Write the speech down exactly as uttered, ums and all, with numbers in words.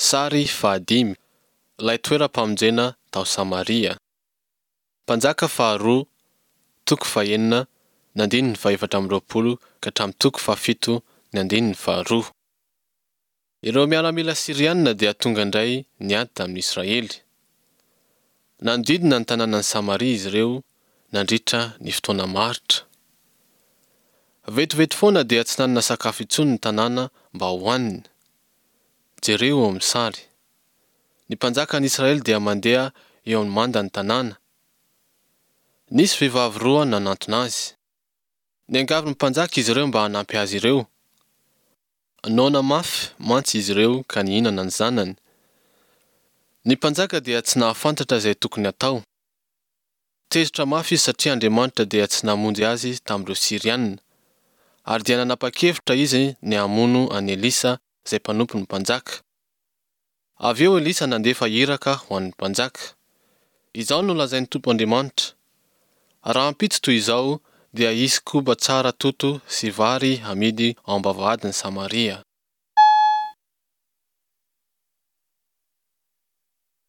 Sary fahadimy, Ilay toeram-pamonjena tao Samaria. Mpanjaka faharoa, toko fahenina, ny andininy fahefatra amby roapolo ka hatramin'ny toko fahafito ny andininy faharoa. Ireo miaramila Syriana dia tonga indray niady tamin'ny Israely. Nanodidina ny tanànan'i Samaria izy ireo nandritra ny fotoana maharitra. Vetivety foana dia tsy nanana sakafo intsony ny tanàna mba hohanina. Jereo eo amin'ny sary. Ny mpanjakan'ny Israely dia mandeha eo amin'ny mandan'ny tanàna. Nisy vehivavy roa nanantona azy. Niangavy ny mpanjaka izy ireo mba hanampy azy ireo. Noana mafy mantsy izy ireo ka nihinana ny zanany. Ny mpanjaka dia tsy nahafantatra izay tokony hatao. Tezitra mafy izy satria Andriamanitra dia tsy namonjy azy tamin'ireo Syriana, ary dia nanapa-kevitra izy ny hamono an'i Elisa izay mpanompon'ny mpanjaka. Avy eo Elisa nandefa iraka ho an'ny mpanjaka. Izao no lazain'ny Tompo Andriamanitra, Rahampitso toy izao dia hisy koba tsara toto sy vary hamidy ao am-bavahadin'i Samaria.